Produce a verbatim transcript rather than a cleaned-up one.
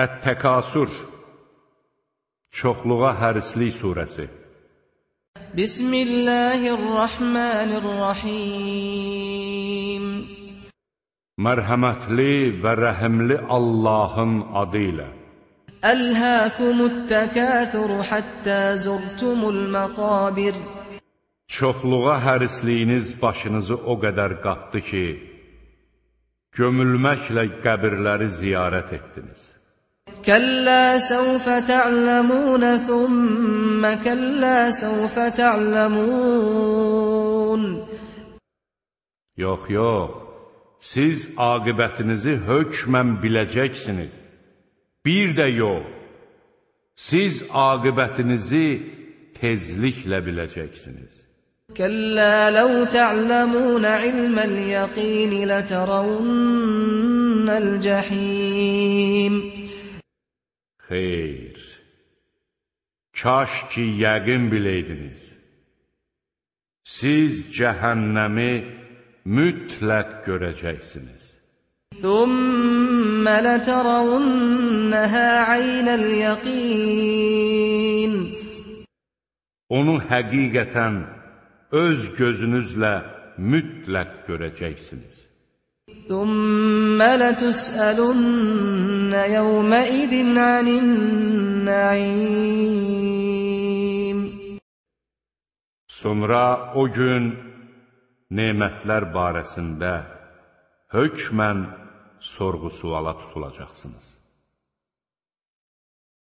Ət-Təkasur, çoxluğa hərislik surəsi. Bismillahirrahmanirrahim. Mərhəmətli və rəhimli Allahın adı ilə. Əlhəkumut-təkəthur həttə zurtumul məqabir. Çoxluğa hərisliyiniz başınızı o qədər qatdı ki, gömülməklə qəbirləri ziyarət etdiniz. Kəllə səvfə tə'ləmunə thumma kəllə səvfə tə'ləmun. Yox, yox, siz aqibətinizi hökmən biləcəksiniz. Bir də yox, siz aqibətinizi tezliklə biləcəksiniz. Kəllə ləv tə'ləmunə ilməl yəqin lətərəvnnəl cəhim. Xeyr, kaş ki yəqin biləydiniz. Siz cəhənnəmi mütləq görəcəksiniz. Thumma lətərəvnnəhə aynəl yəqin. Onu həqiqətən öz gözünüzlə mütləq görəcəksiniz. Thumma lətus'əlunnə yevməidin anin-nə'im. Sonra o gün nemətlər barəsində hökmən sorğu-suala tutulacaqsınız.